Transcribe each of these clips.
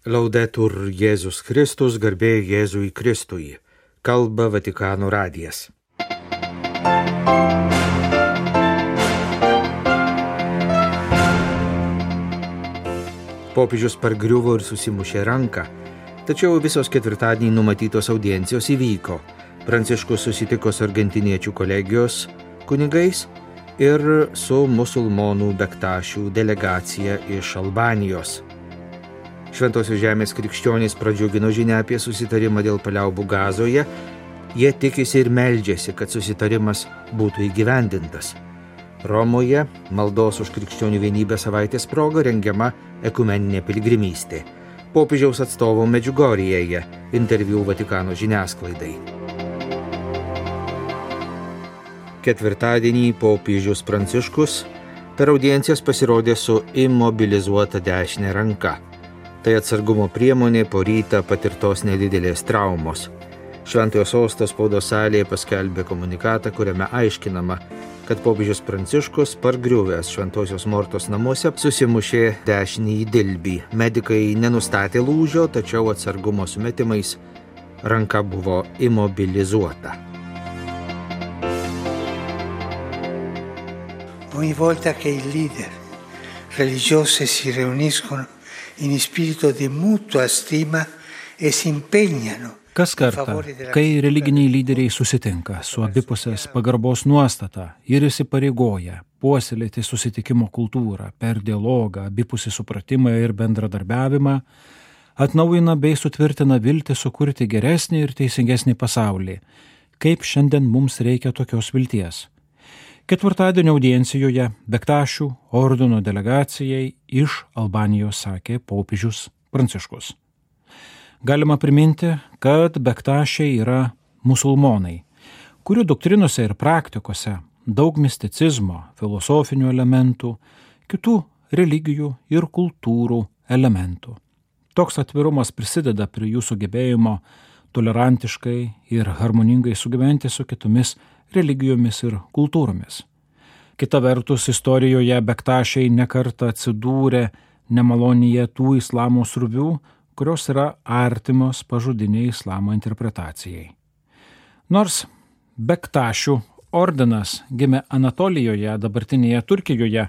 Laudetur Jėzus Kristus, garbė Jėzui Kristui. Kalba Vatikano radijas. Popiežius pargriuvo ir susimušė ranką, tačiau visos ketvirtadienį numatytos audiencijos įvyko. Pranciškus susitiko su argentiniečių kolegijos kunigais ir su musulmonų bektašių delegacija iš Albanijos. Šventosios žemės krikščionys pradžiugino žinią apie susitarimą dėl paliaubų Gazoje. Jie tikisi ir meldžiasi, kad susitarimas būtų įgyvendintas. Romoje maldos už krikščionių vienybę savaitės proga rengiama ekumeninė piligrimystė. Popiežiaus atstovo Medžiugorjėje interviu Vatikano žiniasklaidai. Ketvirtadienį popiežius Pranciškus per audiencijas pasirodė su imobilizuota dešinė ranka. Tai atsargumo priemonė po rytą patirtos nedidelės traumos. Šventojo sosto spaudos salėje paskelbė komunikatą, kuriame aiškinama, kad popiežius Pranciškus pargriuvęs Šventosios Mortos namuose susimušė dešinįjį dilbį. Medikai nenustatė lūžio, tačiau atsargumo sumetimais ranka buvo imobilizuota. Ogni volta che i leader religiosi si riuniscono in spirito di mutua stima e si impegnano. Kas kartą, kai religiniai lyderiai susitinka su abipusės pagarbos nuostata ir įsipareigoja puoselėti susitikimo kultūrą per dialogą, abipusį supratimą ir bendradarbiavimą, atnaujina bei sutvirtina viltį sukurti geresnį ir teisingesnį pasaulį, kaip šiandien mums reikia tokios vilties. Ketvirtadienio audiencijoje Bektašių ordino delegacijai iš Albanijos sakė popiežius Pranciškus. Galima priminti, kad bektašiai yra musulmonai, kurių doktrinose ir praktikose daug misticizmo, filosofinių elementų, kitų religijų ir kultūrų elementų. Toks atvirumas prisideda prie jų sugebėjimo tolerantiškai ir harmoningai sugyventi su kitomis religijomis ir kultūromis. Kita vertus, istorijoje bektašiai nekartą atsidūrė nemalonyje tų islamo sruvių, kurios yra artimos pažodiniai islamo interpretacijai. Nors bektašių ordinas gimė Anatolijoje, dabartinėje Turkijoje,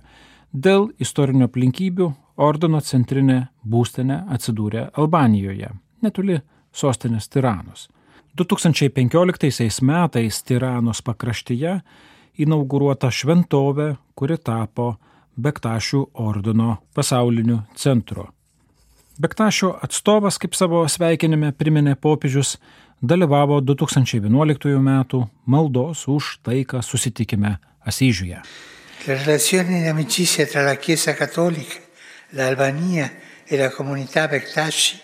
dėl istorinių aplinkybių ordino centrinė būstinė atsidūrė Albanijoje, netoli sostinės Tiranos. 2015 metais Tiranos pakraštyje inauguruota šventovė, kuri tapo Bektašių ordino pasauliniu centru. Bektašių atstovas, kaip savo sveikinime priminė popiežius, dalyvavo 2011 metų maldos už taiką susitikime Asyžiuje. Le relazioni di amicizia tra la Chiesa Cattolica, l'Albania e la comunità Bektaši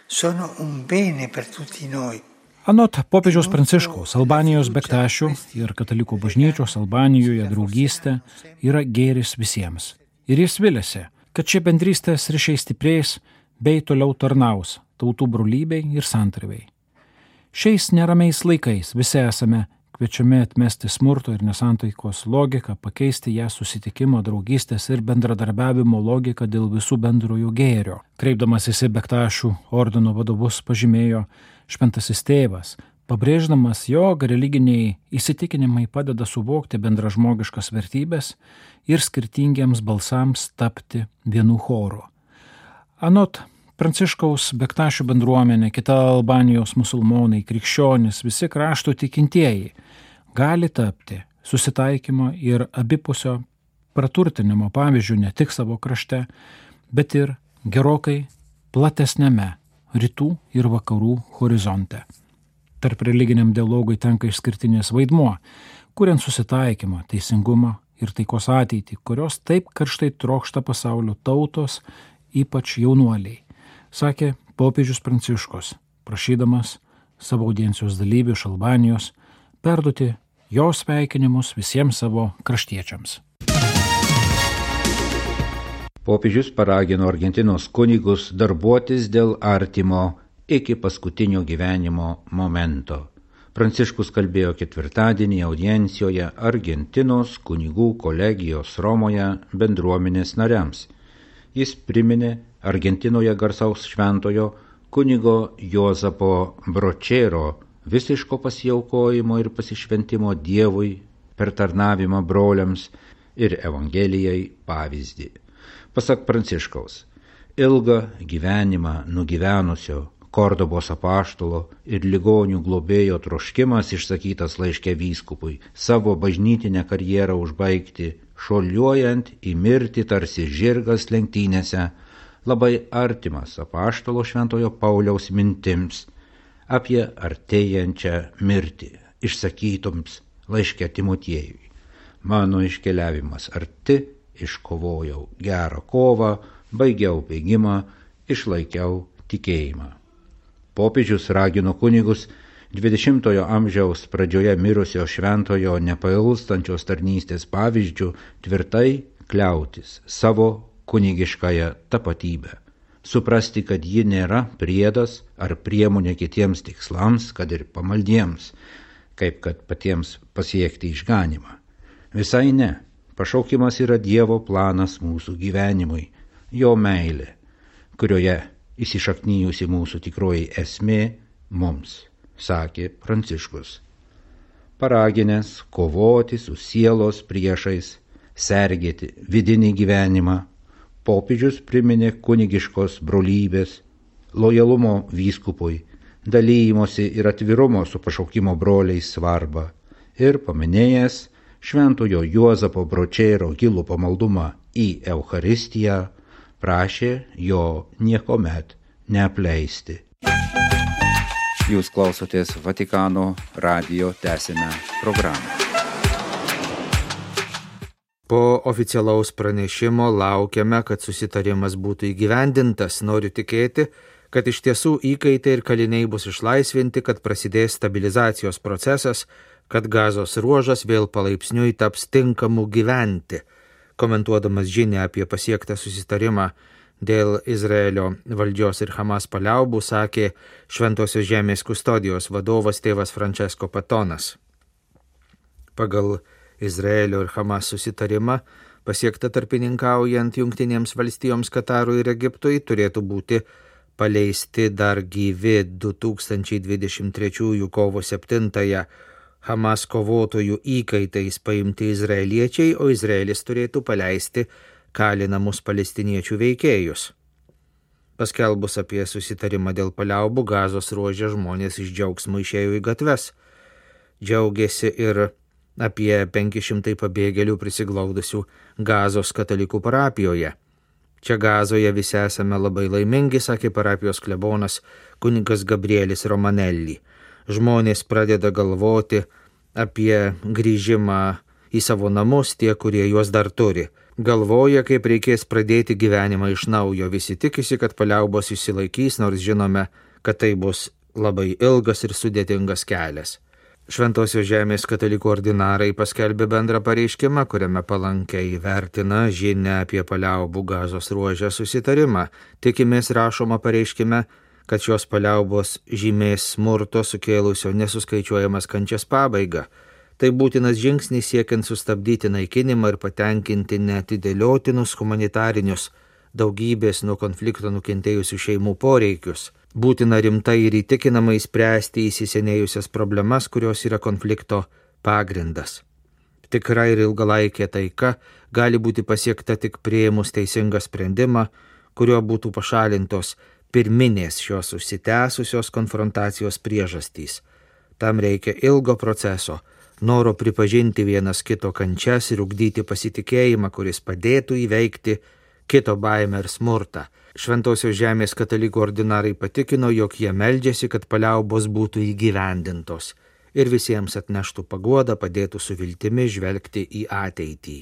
sono un bene per tutti noi. Anot popiežiaus Pranciškaus, Albanijos bektašių ir katalikų bažnyčios Albanijoje draugystė yra gėris visiems. Ir jis viliasi, kad šie bendrystės ryšiai stiprės bei toliau tarnaus tautų brolybei ir santarvei. Šiais neramiais laikais visi esame kviečiami atmesti smurto ir nesantaikos logiką, pakeisti ją susitikimo, draugystės ir bendradarbiavimo logiką dėl visų bendrojo gėrio. Kreipdamasis į bektašių ordino vadovus pažymėjo Šventasis tėvas, pabrėždamas, jog religiniai įsitikinimai padeda suvokti bendražmogiškas vertybės ir skirtingiems balsams tapti vienu choru. Anot Pranciškaus, bektašių bendruomenė, kita Albanijos musulmonai, krikščionys, visi krašto tikintieji gali tapti susitaikymo ir abipusio praturtinimo pavyzdžių ne tik savo krašte, bet ir gerokai platesnėme rytų ir vakarų horizonte. Tarp religiniam dialogui tenka išskirtinis vaidmuo, kuriant susitaikymą, teisingumą ir taikos ateitį, kurios taip karštai trokšta pasaulio tautos, ypač jaunuoliai, sakė popiežius Pranciškus, prašydamas savo audiencijos dalyvių iš Albanijos perduoti jo sveikinimus visiems savo kraštiečiams. Popiežius paragino Argentinos kunigus darbuotis dėl artimo iki paskutinio gyvenimo momento. Pranciškus kalbėjo ketvirtadienį audiencijoje Argentinos kunigų kolegijos Romoje bendruomenės nariams. Jis priminė Argentinoje garsaus šventojo kunigo Juozapo Bročero visiško pasiaukojimo ir pasišventimo Dievui per tarnavimą broliams ir Evangelijai pavyzdį. Pasak Pranciškaus, ilgą gyvenimą nugyvenusio Kordobos apaštalo ir ligonių globėjo troškimas išsakytas laiške vyskupui savo bažnytinę karjerą užbaigti, šuoliuojant į mirtį tarsi žirgas lenktynėse, labai artimas apaštalo šventojo Pauliaus mintims apie artėjančią mirtį, išsakytoms laiške Timotiejui. Mano iškeliavimas arti, iškovojau gerą kovą, baigiau bėgimą, išlaikiau tikėjimą. Popiežius ragino kunigus 20-ojo amžiaus pradžioje mirusio šventojo nepailstančios tarnystės pavyzdžių tvirtai kliautis savo kunigiškąją tapatybę, suprasti, kad ji nėra priedas ar priemonė kitiems tikslams, kad ir pamaldiems, kaip kad patiems pasiekti išganymą. Visai ne, pašaukimas yra Dievo planas mūsų gyvenimui, jo meilė, kurioje įsišaknyjusi mūsų tikroji esmė mums, sakė Pranciškus. Paraginęs kovoti su sielos priešais, sergėti vidinį gyvenimą, popiežius priminė kunigiškos brolybės, lojalumo vyskupui, dalymosi ir atvirumo su pašaukimo broliais svarbą ir paminėjęs šventojo Juozapo Bročero gilų pamaldumą į Eucharistiją, prašė jo niekomet neapleisti. Jūs klausotės Vatikano radijo, tęsime programą. Po oficialaus pranešimo laukiame, kad susitarimas būtų įgyvendintas. Noriu tikėti, kad iš tiesų įkaitai ir kaliniai bus išlaisvinti, kad prasidės stabilizacijos procesas, kad Gazos ruožas vėl palaipsniui taps tinkamu gyventi. Komentuodamas žinią apie pasiektą susitarimą dėl Izraelio valdžios ir Hamas paliaubų, sakė Šventosios žemės kustodijos vadovas tėvas Francesco Patonas. Pagal Izraelio ir Hamas susitarimą, pasiektą tarpininkaujant Jungtinėms valstijoms, Katarui ir Egiptui, turėtų būti paleisti dar gyvi 2023 kovo 7 Hamas kovotojų įkaitais paimti izraeliečiai, o Izraelis turėtų paleisti kalinamus palestiniečių veikėjus. Paskelbus apie susitarimą dėl paliaubų, Gazos ruože žmonės iš džiaugsmo išėjo į gatves. Džiaugiasi ir apie 500 pabėgėlių prisiglaudusių Gazos katalikų parapijoje. Čia Gazoje visi esame labai laimingi, sakė parapijos klebonas kunigas Gabrielis Romanelli. Žmonės pradeda galvoti apie grįžimą į savo namus, tie, kurie juos dar turi. Galvoja, kaip reikės pradėti gyvenimą iš naujo. Visi tikisi, kad paliaubos išsilaikys, nors žinome, kad tai bus labai ilgas ir sudėtingas kelias. Šventosios žemės katalikų ordinarai paskelbė bendrą pareiškimą, kuriame palankiai vertina žinią apie paliaubų Gazos ruožę susitarimą. Tikimės, rašoma pareiškime, kad šios paliaubos žymės smurto sukėlusio nesuskaičiuojamas kančias pabaigą. Tai būtinas žingsnis siekiant sustabdyti naikinimą ir patenkinti neatidėliotinus humanitarinius daugybės nuo konflikto nukentėjusių šeimų poreikius. Būtina rimtai ir įtikinamai spręsti įsisenėjusias problemas, kurios yra konflikto pagrindas. Tikra ir ilgalaikė taika gali būti pasiekta tik priėmus teisingą sprendimą, kuriuo būtų pašalintos pirminės šios užsitęsusios konfrontacijos priežastys. Tam reikia ilgo proceso, noro pripažinti vienas kito kančias ir ugdyti pasitikėjimą, kuris padėtų įveikti kito baimę ir smurtą. Šventosios žemės katalikų ordinarai patikino, jog jie meldžiasi, kad paliaubos būtų įgyvendintos ir visiems atneštų paguodą, padėtų su viltimi žvelgti į ateitį.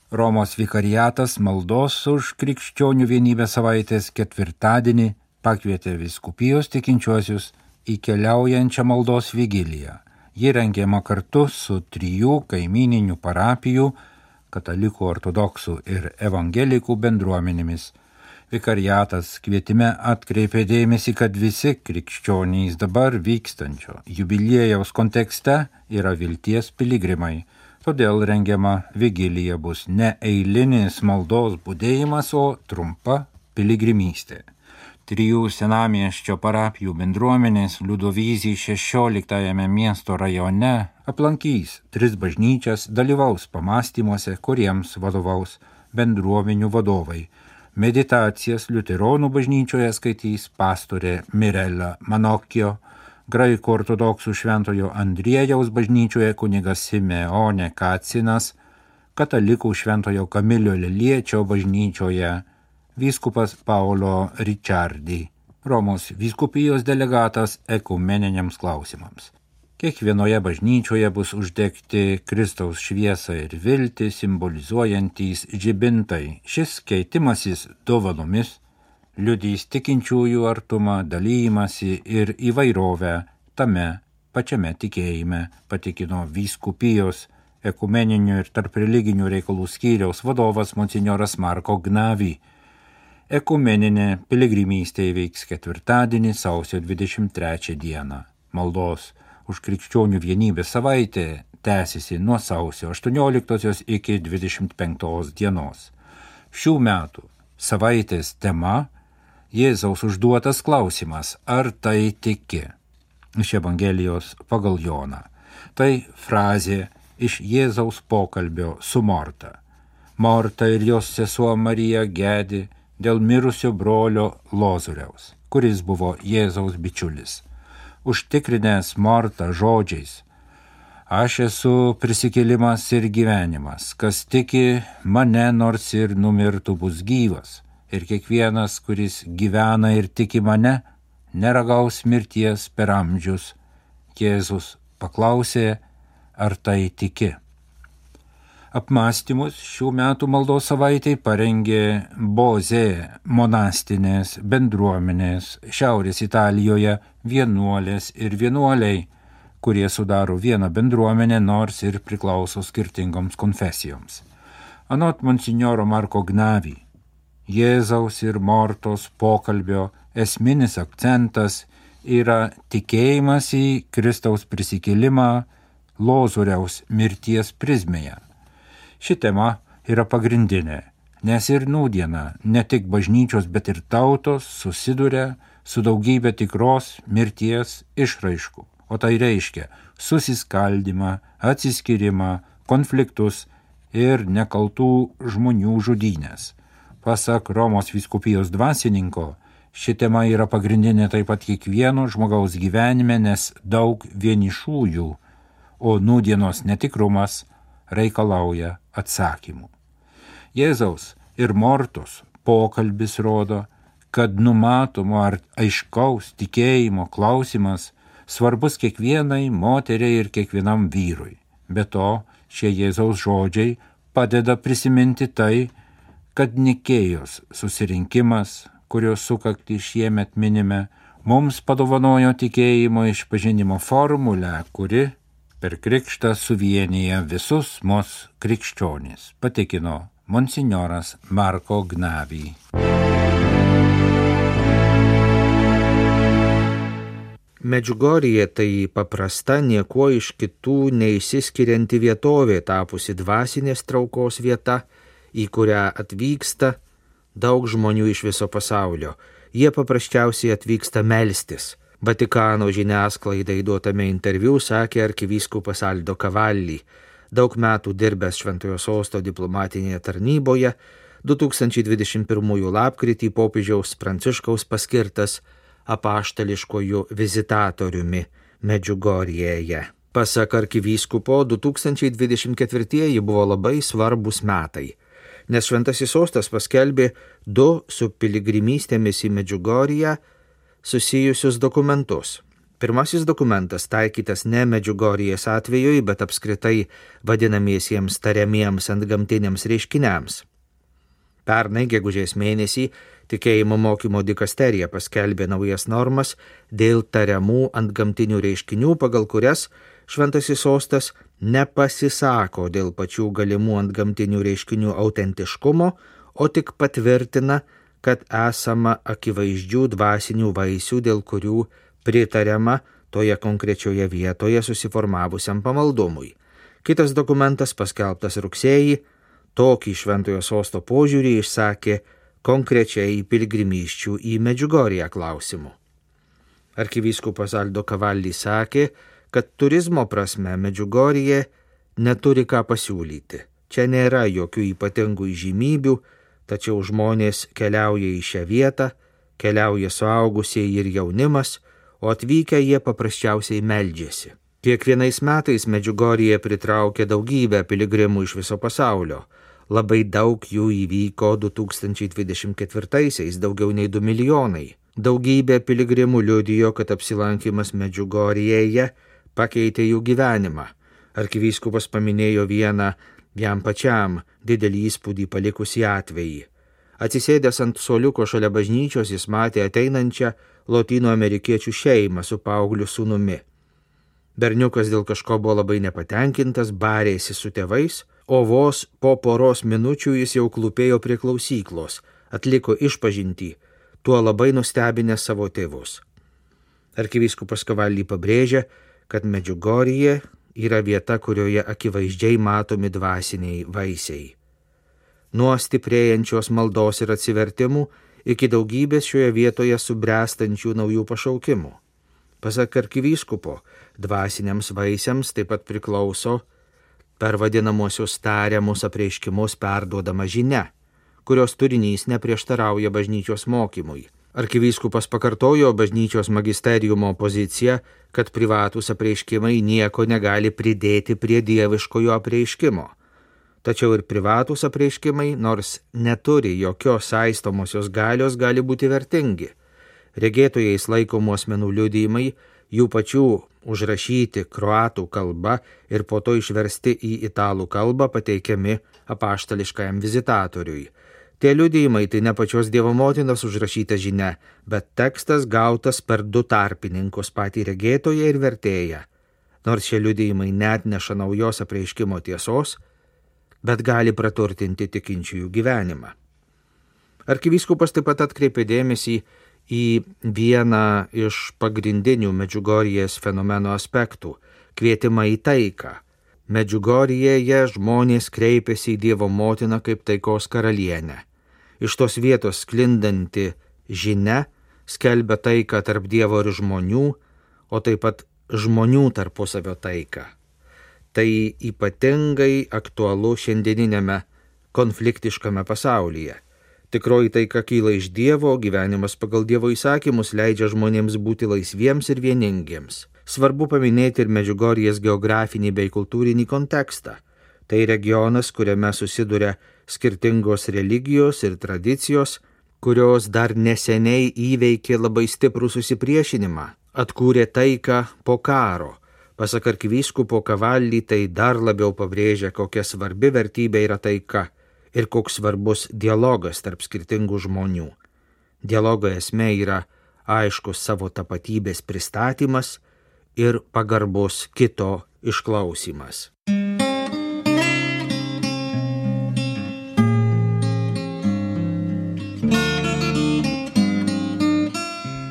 Romos vikariatas maldos už krikščionių vienybę savaitės ketvirtadienį pakvietė vyskupijos tikinčiuosius į keliaujančią maldos vigiliją. Ji rengiama kartu su 3 kaimyninių parapijų, katalikų, ortodoksų ir evangelikų bendruomenėmis. Vikariatas kvietime atkreipė dėmesį, kad visi krikščionys dabar vykstančio jubiliejaus kontekste yra vilties piligrimai, Todėl rengiama vigilija bus ne eilinis maldos budėjimas, o trumpa piligrimystė. 3 senamiesčio parapijų bendruomenės Liudovyzį 16 miesto rajone aplankys 3 bažnyčias, dalyvaus pamąstymuose, kuriems vadovaus bendruomenių vadovai. Meditacijas liuteronų bažnyčioje skaitys pastorė Mirela Manokio, graikų ortodoksų šventojo Andriejaus bažnyčioje kunigas Simeone Kacinas, katalikų šventojo Kamilio Leliečio bažnyčioje vyskupas Paulo Ricciardi, Romos vyskupijos delegatas ekumeniniams klausimams. Kiekvienoje bažnyčioje bus uždegti Kristaus šviesą ir viltį simbolizuojantys žibintai. Šis keitimasis dovanomis liudys tikinčiųjų artumą, dalymasi ir įvairovę tame pačiame tikėjime, patikino vyskupijos ekumeninių ir tarpreliginių reikalų skyriaus vadovas monsinjoras Marko Gnavi. Ekumeninė piligrimystė įvyks ketvirtadienį, sausio 23 dieną. Maldos už krikščionių vienybės savaitė tęsiasi nuo sausio 18 iki 25 dienos. Šių metų savaitės tema – Jėzaus užduotas klausimas, ar tai tiki? Iš Evangelijos pagal Joną. Tai frazė iš Jėzaus pokalbio su Morta. Morta ir jos sesuo Marija gedi dėl mirusio brolio Lozoriaus, kuris buvo Jėzaus bičiulis. Užtikrinęs Mortą žodžiais: aš esu prisikėlimas ir gyvenimas, kas tiki mane, nors ir numirtų, bus gyvas, ir kiekvienas, kuris gyvena ir tiki mane, neragaus mirties per amžius. Jėzus paklausė, ar tai tiki. Apmąstymus šių metų maldos savaitei parengė Bozė monastinės bendruomenės Šiaurės Italijoje vienuolės ir vienuoliai, kurie sudaro vieną bendruomenę, nors ir priklauso skirtingoms konfesijoms. Anot monsinjoro Marko Gnavi, Jėzaus ir Mortos pokalbio esminis akcentas yra tikėjimas į Kristaus prisikėlimą Lozoriaus mirties prizmėje. Ši tema yra pagrindinė, nes ir nūdiena ne tik bažnyčios, bet ir tautos susiduria su daugybė tikros mirties išraiškų, o tai reiškia susiskaldymą, atsiskyrimą, konfliktus ir nekaltų žmonių žudynės. Pasak Romos vyskupijos dvasininko, ši tema yra pagrindinė taip pat kiekvieno žmogaus gyvenime, nes daug vienišųjų, o nūdienos netikrumas reikalauja atsakymų. Jėzaus ir Mortos pokalbis rodo, kad numatomo ar aiškaus tikėjimo klausimas svarbus kiekvienai moteriai ir kiekvienam vyrui. Be to, šie Jėzaus žodžiai padeda prisiminti tai, kad Nikėjos susirinkimas, kurio sukaktį šiemet minime, mums padovanojo tikėjimo išpažinimo formulę, kuri per krikštą suvienyje visus mus krikščionis, patikino monsinjoras Marko Gnavi. Medžiugorje tai paprasta, niekuo iš kitų neišsiskirianti vietovė, tapusi dvasinės traukos vieta, į kurią atvyksta daug žmonių iš viso pasaulio. Jie paprasčiausiai atvyksta melstis. Vatikano žiniasklaidai duotame interviu sakė arkivyskupas Aldo Cavalli, daug metų dirbęs Šventojo Sosto diplomatinėje tarnyboje, 2021 lapkritį popiežiaus Pranciškaus paskirtas apaštališkojų vizitatoriumi Medžiugorjėje. Pasak arkivyskupo, 2024 buvo labai svarbus metai, nes Šventasis Sostas paskelbė 2 su piligrimystėmis į Medžiugorję susijusius dokumentus. Pirmasis dokumentas taikytas ne Medžiugorjės atvejui, bet apskritai vadinamiesiems tariamiems antgamtiniams reiškiniams. Pernai gegužės mėnesį Tikėjimo mokymo dikasterija paskelbė naujas normas dėl tariamų antgamtinių reiškinių, pagal kurias Šventasis Sostas nepasisako dėl pačių galimų antgamtinių reiškinių autentiškumo, o tik patvirtina, kad esama akivaizdžių dvasinių vaisių, dėl kurių pritariama toje konkrečioje vietoje susiformavusiam pamaldumui. Kitas dokumentas, paskelbtas rugsėjį, tokį šventojo sosto požiūrį išsakė konkrečiai piligrimysčių į Medžiugorję klausimu. Arkivyskupas Aldo Cavalli sakė, kad turizmo prasme Medžiugorjė neturi ką pasiūlyti. Čia nėra jokių ypatingų įžymybių, tačiau žmonės keliauja į šią vietą, keliauja suaugusieji ir jaunimas, o atvykę jie paprasčiausiai meldžiasi. Kiekvienais metais Medžiugorjė pritraukia daugybę piligrimų iš viso pasaulio. Labai daug jų įvyko 2024-aisiais, daugiau nei 2 milijonai. Daugybė piligrimų liudijo, kad apsilankimas Medžiugorjėje pakeitė jų gyvenimą. Arkivyskupas paminėjo vieną jam pačiam didelį įspūdį palikusį atvejį. Atsisėdęs ant suoliuko šalia bažnyčios jis matė ateinančią lotynų amerikiečių šeimą su paaugliu sūnumi. Berniukas dėl kažko buvo labai nepatenkintas, barėsi su tėvais, o vos po poros minučių jis jau klūpėjo prie klausyklos, atliko išpažintį, tuo labai nustebinęs savo tėvus. Arkivyskupas Cavalli pabrėžia, kad Medžiugorjė yra vieta, kurioje akivaizdžiai matomi dvasiniai vaisiai. Nuo stiprėjančios maldos ir atsivertimų iki daugybės šioje vietoje subręstančių naujų pašaukimų. Pasak arkivyskupo, dvasiniams vaisiams taip pat priklauso per vadinamosius tariamus apreiškimus perduodama žinia, kurios turinys neprieštarauja bažnyčios mokymui. Arkivyskupas pakartojo bažnyčios magisteriumo poziciją, kad privatūs apreiškimai nieko negali pridėti prie dieviškojo apreiškimo. Tačiau ir privatūs apreiškimai, nors neturi jokios saistomosios galios, gali būti vertingi. Regėtojais laikomų asmenų liudijimai, jų pačių užrašyti kroatų kalba ir po to išversti į italų kalbą pateikiami apaštališkajam vizitatoriui. Tie liudijimai tai ne pačios Dievo motinos užrašyta žinia, bet tekstas gautas per 2 tarpininkus, patį regėtoją ir vertėją. Nors šie liudijimai neatneša naujos apreiškimo tiesos, bet gali praturtinti tikinčiųjų gyvenimą. Arkivyskupas taip pat atkreipė dėmesį į vieną iš pagrindinių Medžiugorjės fenomeno aspektų – kvietimą į taiką. Medžiugorjėje žmonės kreipėsi į Dievo motiną kaip taikos karalienę. Iš tos vietos sklindanti žinia skelbia taiką tarp Dievo ir žmonių, o taip pat žmonių tarpusavio taiką. Tai ypatingai aktualu šiandieninėme konfliktiškame pasaulyje. Tikroji taika kyla iš Dievo, gyvenimas pagal Dievo įsakymus leidžia žmonėms būti laisviems ir vieningiems. Svarbu paminėti ir Medžiugorjės geografinį bei kultūrinį kontekstą. Tai regionas, kuriame susiduria skirtingos religijos ir tradicijos, kurios dar neseniai įveikė labai stiprų susipriešinimą, atkūrė taiką po karo. Pasak arkivyskupo Cavalli, tai dar labiau pabrėžia, kokia svarbi vertybė yra taika ir koks svarbus dialogas tarp skirtingų žmonių. Dialogo esmė yra aiškus savo tapatybės pristatymas ir pagarbus kito išklausymas.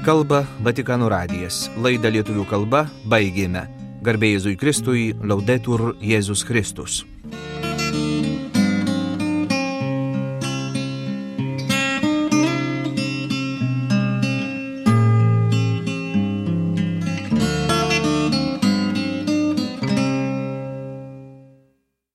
Kalba Vatikano radijas. Laidą lietuvių kalba baigėme. Garbė Jėzui Kristui, Laudetur Jėzus Kristus.